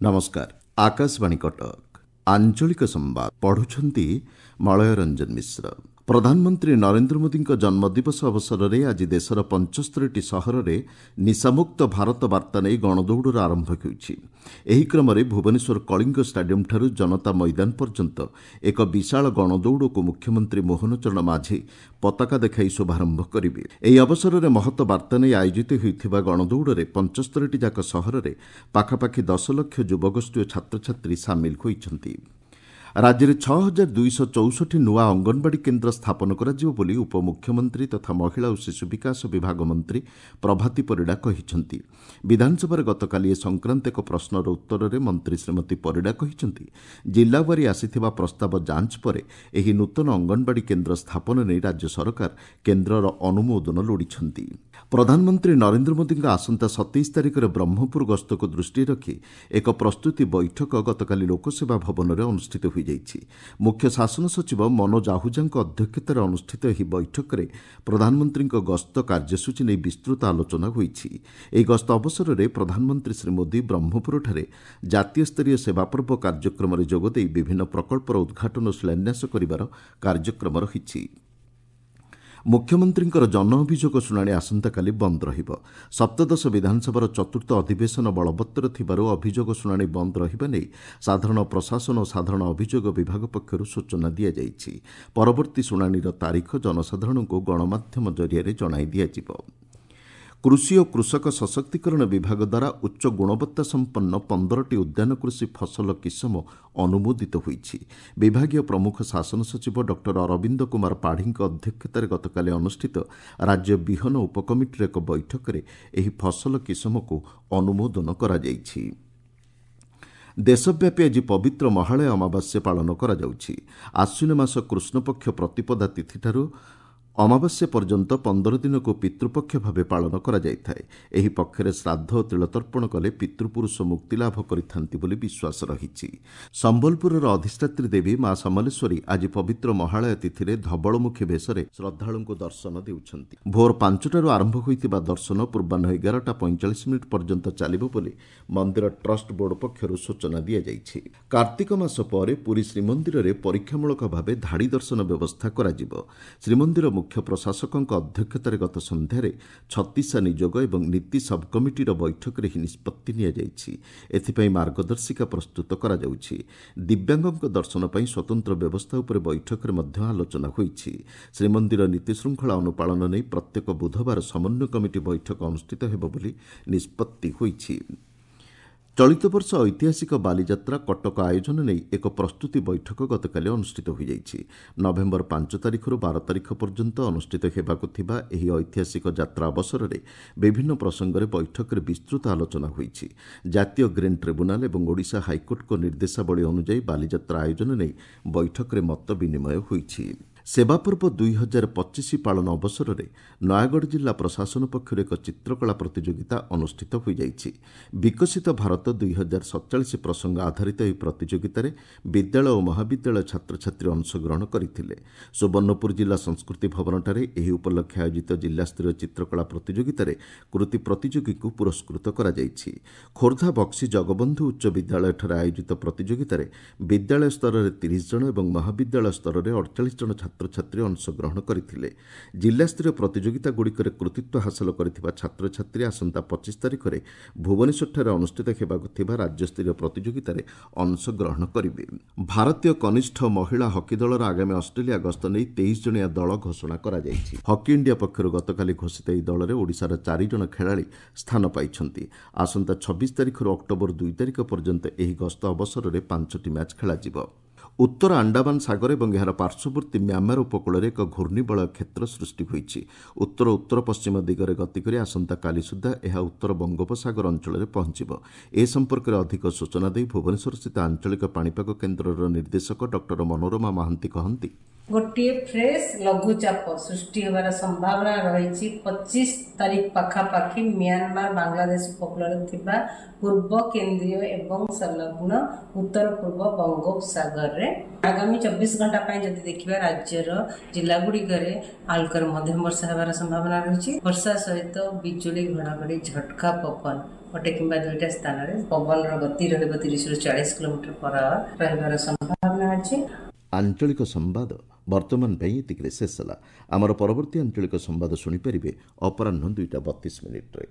ନମସ୍କାର, ଆକାଶବାଣୀ କଟକ। ଆଞ୍ଚଳିକ ସମ୍ବାଦ ପଢୁଛନ୍ତି ମଳୟ ରଞ୍ଜନ ମିଶ୍ର। ପ୍ରଧାନମନ୍ତ୍ରୀ ନରେନ୍ଦ୍ର ମୋଦିଙ୍କ ଜନ୍ମଦିବସ ଅବସରରେ ଆଜି ଦେଶର 75ଟି ସହରରେ ନିଶାମୁକ୍ତ ଭାରତ ବାର୍ତ୍ତା ନେଇ ଗଣଦୌଡ଼ର ଆରମ୍ଭ ହେଉଛି। ଏହି କ୍ରମରେ ଭୁବନେଶ୍ୱର କଳିଙ୍ଗ ଷ୍ଟାଡିୟମ୍ଠାରୁ ଜନତା ମଇଦାନ ପର୍ଯ୍ୟନ୍ତ ଏକ ବିଶାଳ ଗଣଦୌଡ଼କୁ ମୁଖ୍ୟମନ୍ତ୍ରୀ ମୋହନ ଚରଣ ମାଝୀ ପତାକା ଦେଖାଇ ଶୁଭାରମ୍ଭ କରିବେ। ଏହି ଅବସରରେ ମହତ ବାର୍ତ୍ତା ନେଇ ଆୟୋଜିତ ହେଉଥିବା ଗଣଦୌଡ଼ରେ 75ଟି ଯାକ ସହରରେ ପାଖାପାଖି 10 ଲକ୍ଷ ଯୁବଗୋଷ୍ଠୀ ଓ ଛାତ୍ରଛାତ୍ରୀ ସାମିଲ ହୋଇଛନ୍ତି। ରାଜ୍ୟରେ 6264 ନୂଆ ଅଙ୍ଗନବାଡ଼ି କେନ୍ଦ୍ର ସ୍ଥାପନ କରାଯିବ ବୋଲି ଉପମୁଖ୍ୟମନ୍ତ୍ରୀ ତଥା ମହିଳା ଓ ଶିଶୁ ବିକାଶ ବିଭାଗ ମନ୍ତ୍ରୀ ପ୍ରଭାତୀ ପରିଡ଼ା କହିଛନ୍ତି। ବିଧାନସଭାରେ ଗତକାଲି ଏ ସଂକ୍ରାନ୍ତ ଏକ ପ୍ରଶ୍ନର ଉତ୍ତରରେ ମନ୍ତ୍ରୀ ଶ୍ରୀମତୀ ପରିଡ଼ା କହିଛନ୍ତି, ଜିଲ୍ଲାୱାରୀ ଆସିଥିବା ପ୍ରସ୍ତାବ ଯାଞ୍ଚ ପରେ ଏହି ନୂତନ ଅଙ୍ଗନବାଡ଼ି କେନ୍ଦ୍ର ସ୍ଥାପନ ନେଇ ରାଜ୍ୟ ସରକାର କେନ୍ଦ୍ରର ଅନୁମୋଦନ ଲୋଡ଼ିଛନ୍ତି। ପ୍ରଧାନମନ୍ତ୍ରୀ ନରେନ୍ଦ୍ର ମୋଦିଙ୍କ ଆସନ୍ତା 27 ତାରିଖରେ ବ୍ରହ୍ମପୁର ଗସ୍ତକୁ ଦୃଷ୍ଟିରେ ରଖି ଏକ ପ୍ରସ୍ତୁତି ବୈଠକ ଗତକାଲି ଲୋକସେବା ଭବନରେ ଅନୁଷ୍ଠିତ ହୋଇଯାଇଛି। ମୁଖ୍ୟ ଶାସନ ସଚିବ ମନୋଜ ଆହୁଜାଙ୍କ ଅଧ୍ୟକ୍ଷତାରେ ଅନୁଷ୍ଠିତ ଏହି ବୈଠକରେ ପ୍ରଧାନମନ୍ତ୍ରୀଙ୍କ ଗସ୍ତ କାର୍ଯ୍ୟସୂଚୀ ନେଇ ବିସ୍ତୃତ ଆଲୋଚନା ହୋଇଛି। ଏହି ଗସ୍ତ ଅବସରରେ ପ୍ରଧାନମନ୍ତ୍ରୀ ଶ୍ରୀ ମୋଦି ବ୍ରହ୍ମପୁରଠାରେ ଜାତୀୟ ସ୍ତରୀୟ ସେବା ପର୍ବ କାର୍ଯ୍ୟକ୍ରମରେ ଯୋଗଦେଇ ବିଭିନ୍ନ ପ୍ରକଳ୍ପର ଉଦ୍ଘାଟନ ଓ ଶିଳାନ୍ୟାସ କରିବାର କାର୍ଯ୍ୟକ୍ରମ ରହିଛି। ମୁଖ୍ୟମନ୍ତ୍ରୀଙ୍କର ଜନ ଅଭିଯୋଗ ଶୁଣାଣି ଆସନ୍ତାକାଲି ବନ୍ଦ ରହିବ। ସପ୍ତଦଶ ବିଧାନସଭାର ଚତୁର୍ଥ ଅଧିବେଶନ ବଳବତ୍ତର ଥିବାରୁ ଅଭିଯୋଗ ଶୁଣାଣି ବନ୍ଦ ରହିବା ନେଇ ସାଧାରଣ ପ୍ରଶାସନ ଓ ସାଧାରଣ ଅଭିଯୋଗ ବିଭାଗ ପକ୍ଷରୁ ସୂଚନା ଦିଆଯାଇଛି। ପରବର୍ତ୍ତୀ ଶୁଣାଣିର ତାରିଖ ଜନସାଧାରଣଙ୍କୁ ଗଣମାଧ୍ୟମ ଜରିଆରେ ଜଣାଇ ଦିଆଯିବ। କୃଷି ଓ କୃଷକ ସଶକ୍ତିକରଣ ବିଭାଗ ଦ୍ୱାରା ଉଚ୍ଚ ଗୁଣବତ୍ତା ସମ୍ପନ୍ନ 15ଟି ଉଦ୍ୟାନ କୃଷି ଫସଲ କିସମ ଅନୁମୋଦିତ ହୋଇଛି। ବିଭାଗୀୟ ପ୍ରମୁଖ ଶାସନ ସଚିବ ଡକ୍ଟର ଅରବିନ୍ଦ କୁମାର ପାଢ଼ୀଙ୍କ ଅଧ୍ୟକ୍ଷତାରେ ଗତକାଲି ଅନୁଷ୍ଠିତ ରାଜ୍ୟ ବିହନ ଉପକମିଟିର ଏକ ବୈଠକରେ ଏହି ଫସଲ କିସମକୁ ଅନୁମୋଦନ କରାଯାଇଛି। ଦେଶବ୍ୟାପୀ ଆଜି ପବିତ୍ର ମହାଳୟା ଅମାବାସ୍ୟା ପାଳନ କରାଯାଉଛି। ଆଶ୍ୱିନ ମାସ କୃଷ୍ଣପକ୍ଷ ପ୍ରତିପଦା ତିଥିଠାରୁ ଅମାବାସ୍ୟା ପର୍ଯ୍ୟନ୍ତ 15 ଦିନକୁ ପିତୃପକ୍ଷ ଭାବେ ପାଳନ କରାଯାଇଥାଏ। ଏହି ପକ୍ଷରେ ଶ୍ରାଦ୍ଧ ଓ ତିଳତର୍ପଣ କଲେ ପିତୃପୁରୁଷ ମୁକ୍ତିଲାଭ କରିଥାନ୍ତି ବୋଲି ବିଶ୍ୱାସ ରହିଛି। ସମ୍ବଲପୁରର ଅଧିଷ୍ଠାତ୍ରୀ ଦେବୀ ମା ସମଲେଶ୍ୱରୀ ଆଜି ପବିତ୍ର ମହାଳୟା ତିଥିରେ ଧବଳମୁଖୀ ବେଶରେ ଶ୍ରଦ୍ଧାଳୁଙ୍କୁ ଦର୍ଶନ ଦେଉଛନ୍ତି। ଭୋର 5ଟାରୁ ଆରମ୍ଭ ହୋଇଥିବା ଦର୍ଶନ ପୂର୍ବାହ୍ନ 11ଟା 45 ମିନିଟ୍ ପର୍ଯ୍ୟନ୍ତ ଚାଲିବ ବୋଲି ମନ୍ଦିର ଟ୍ରଷ୍ଟ ବୋର୍ଡ ପକ୍ଷରୁ ସୂଚନା ଦିଆଯାଇଛି। କାର୍ତ୍ତିକ ମାସ ପରେ ପୁରୀ ଶ୍ରୀମନ୍ଦିରରେ ପରୀକ୍ଷାମୂଳକ ଭାବେ ଧାଡ଼ି ଦର୍ଶନ ବ୍ୟବସ୍ଥା କରାଯିବ। ଶ୍ରୀମନ୍ଦିର ମୁଖ୍ୟ ପ୍ରଶାସକଙ୍କ ଅଧ୍ୟକ୍ଷତାରେ ଗତ ସନ୍ଧ୍ୟାରେ ଛତିଶା ନିଯୋଗ ଏବଂ ନୀତି ସବ୍କମିଟିର ବୈଠକରେ ଏହି ନିଷ୍ପତ୍ତି ନିଆଯାଇଛି। ଏଥିପାଇଁ ମାର୍ଗଦର୍ଶିକା ପ୍ରସ୍ତୁତ କରାଯାଉଛି। ଦିବ୍ୟାଙ୍ଗଙ୍କ ଦର୍ଶନ ପାଇଁ ସ୍ୱତନ୍ତ୍ର ବ୍ୟବସ୍ଥା ଉପରେ ବୈଠକରେ ମଧ୍ୟ ଆଲୋଚନା ହୋଇଛି। ଶ୍ରୀମନ୍ଦିର ନୀତିଶୃଙ୍ଖଳା ଅନୁପାଳନ ନେଇ ପ୍ରତ୍ୟେକ ବୁଧବାର ସମନ୍ୱୟ କମିଟି ବୈଠକ ଅନୁଷ୍ଠିତ ହେବ ବୋଲି ନିଷ୍ପତ୍ତି ହୋଇଛି। ଚଳିତ ବର୍ଷ ଐତିହାସିକ ବାଲିଯାତ୍ରା କଟକ ଆୟୋଜନ ନେଇ ଏକ ପ୍ରସ୍ତୁତି ବୈଠକ ଗତକାଲି ଅନୁଷ୍ଠିତ ହୋଇଯାଇଛି। ନଭେମ୍ବର 5 ତାରିଖରୁ 12 ତାରିଖ ପର୍ଯ୍ୟନ୍ତ ଅନୁଷ୍ଠିତ ହେବାକୁ ଥିବା ଏହି ଐତିହାସିକ ଯାତ୍ରା ଅବସରରେ ବିଭିନ୍ନ ପ୍ରସଙ୍ଗରେ ବୈଠକରେ ବିସ୍ତୃତ ଆଲୋଚନା ହୋଇଛି। ଜାତୀୟ ଗ୍ରୀନ୍ ଟ୍ରିବ୍ୟୁନାଲ ଏବଂ ଓଡ଼ିଶା ହାଇକୋର୍ଟଙ୍କ ନିର୍ଦ୍ଦେଶାବଳୀ ଅନୁଯାୟୀ ବାଲିଯାତ୍ରା ଆୟୋଜନ ନେଇ ବୈଠକରେ ମତ ବିନିମୟ ହୋଇଛି। ସେବାପର୍ବ 2025 ପାଳନ ଅବସରରେ ନୟାଗଡ଼ ଜିଲ୍ଲା ପ୍ରଶାସନ ପକ୍ଷରୁ ଏକ ଚିତ୍ରକଳା ପ୍ରତିଯୋଗିତା ଅନୁଷ୍ଠିତ ହୋଇଯାଇଛି। ବିକଶିତ ଭାରତ 2047 ପ୍ରସଙ୍ଗ ଆଧାରିତ ଏହି ପ୍ରତିଯୋଗିତାରେ ବିଦ୍ୟାଳୟ ଓ ମହାବିଦ୍ୟାଳୟ ଛାତ୍ରଛାତ୍ରୀ ଅଂଶଗ୍ରହଣ କରିଥିଲେ। ସୁବର୍ଣ୍ଣପୁର ଜିଲ୍ଲା ସଂସ୍କୃତି ଭବନଠାରେ ଏହି ଉପଲକ୍ଷେ ଆୟୋଜିତ ଜିଲ୍ଲାସ୍ତରୀୟ ଚିତ୍ରକଳା ପ୍ରତିଯୋଗିତାରେ କୃତି ପ୍ରତିଯୋଗୀଙ୍କୁ ପୁରସ୍କୃତ କରାଯାଇଛି। ଖୋର୍ଦ୍ଧା ବକ୍ସି ଜଗବନ୍ଧୁ ଉଚ୍ଚ ବିଦ୍ୟାଳୟଠାରେ ଆୟୋଜିତ ପ୍ରତିଯୋଗିତାରେ ବିଦ୍ୟାଳୟ ସ୍ତରରେ 30 ଜଣ ଏବଂ ମହାବିଦ୍ୟାଳୟ ସ୍ତରରେ 48 ଜଣ ଛାତ୍ରଛାତ୍ରୀ ଅଂଶଗ୍ରହଣ କରିଥିଲେ। ଜିଲ୍ଲାସ୍ତରୀୟ ପ୍ରତିଯୋଗିତାଗୁଡ଼ିକରେ କୃତିତ୍ୱ ହାସଲ କରିଥିବା ଛାତ୍ରଛାତ୍ରୀ ଆସନ୍ତା 25 ତାରିଖରେ ଭୁବନେଶ୍ୱରଠାରେ ଅନୁଷ୍ଠିତ ହେବାକୁ ଥିବା ରାଜ୍ୟସ୍ତରୀୟ ପ୍ରତିଯୋଗିତାରେ ଅଂଶଗ୍ରହଣ କରିବେ। ଭାରତୀୟ କନିଷ୍ଠ ମହିଳା ହକି ଦଳର ଆଗାମୀ ଅଷ୍ଟ୍ରେଲିଆ ଗସ୍ତ ନେଇ 23 ଜଣିଆ ଦଳ ଘୋଷଣା କରାଯାଇଛି। ହକି ଇଣ୍ଡିଆ ପକ୍ଷରୁ ଗତକାଲି ଘୋଷିତ ଏହି ଦଳରେ ଓଡ଼ିଶାର 4 ଜଣ ଖେଳାଳି ସ୍ଥାନ ପାଇଛନ୍ତି। ଆସନ୍ତା 26 ତାରିଖରୁ ଅକ୍ଟୋବର 2 ତାରିଖ ପର୍ଯ୍ୟନ୍ତ ଏହି ଗସ୍ତ ଅବସରରେ 5ଟି ମ୍ୟାଚ୍ ଖେଳାଯିବ। ଉତ୍ତର ଆଣ୍ଡାମାନ ସାଗର ଏବଂ ଏହାର ପାର୍ଶ୍ୱବର୍ତ୍ତୀ ମ୍ୟାମାର ଉପକୂଳରେ ଏକ ଘୂର୍ଣ୍ଣିବଳୟ କ୍ଷେତ୍ର ସୃଷ୍ଟି ହୋଇଛି। ଉତ୍ତର ଉତ୍ତର ପଶ୍ଚିମ ଦିଗରେ ଗତି କରି ଆସନ୍ତାକାଲି ସୁଦ୍ଧା ଏହା ଉତ୍ତର ବଙ୍ଗୋପସାଗର ଅଞ୍ଚଳରେ ପହଞ୍ଚିବ। ଏ ସମ୍ପର୍କରେ ଅଧିକ ସୂଚନା ଦେଇ ଭୁବନେଶ୍ୱରସ୍ଥିତ ଆଞ୍ଚଳିକ ପାଣିପାଗ କେନ୍ଦ୍ରର ନିର୍ଦ୍ଦେଶକ ଡକ୍ଟର ମନୋରମା ମହାନ୍ତି କହନ୍ତି, ଗୋଟିଏ ଫ୍ରେଶ ଲଘୁଚାପ ସୃଷ୍ଟି ହେବାର ସମ୍ଭାବନା ରହିଛି 25 ତାରିଖ ପାଖାପାଖି ମିଆଁମାର ବାଂଲାଦେଶ ଉପକୂଳରେ ଥିବା ପୂର୍ବ କେନ୍ଦ୍ରୀୟ ଏବଂ ସଂଲଗ୍ନ ଉତ୍ତର ପୂର୍ବ ବଙ୍ଗୋପସାଗରରେ। ଆଗାମୀ 24 ଘଣ୍ଟା ପାଇଁ ଯଦି ଦେଖିବା, ରାଜ୍ୟର ଜିଲ୍ଲାଗୁଡ଼ିକରେ ହାଲକାରୁ ମଧ୍ୟମ ବର୍ଷା ହେବାର ସମ୍ଭାବନା ରହିଛି। ବର୍ଷା ସହିତ ବିଜୁଳି, ଘଡ଼ଘଡ଼ି, ଝଟକା ପବନ ଗୋଟେ କିମ୍ବା ଦୁଇଟା ସ୍ଥାନରେ ପବନର ଗତି ରହିବ 30ରୁ 40 କିଲୋମିଟର ପର ଆୱାର ରହିବାର ସମ୍ଭାବନା ଅଛି। ଆଞ୍ଚଳିକ ସମ୍ବାଦ ବର୍ତ୍ତମାନ ପାଇଁ ଏତିକିରେ ଶେଷ ହେଲା। ଆମର ପରବର୍ତ୍ତୀ ଆଞ୍ଚଳିକ ସମ୍ବାଦ ଶୁଣିପାରିବେ ଅପରାହ୍ନ 2ଟା 32 ମିନିଟ୍ରେ।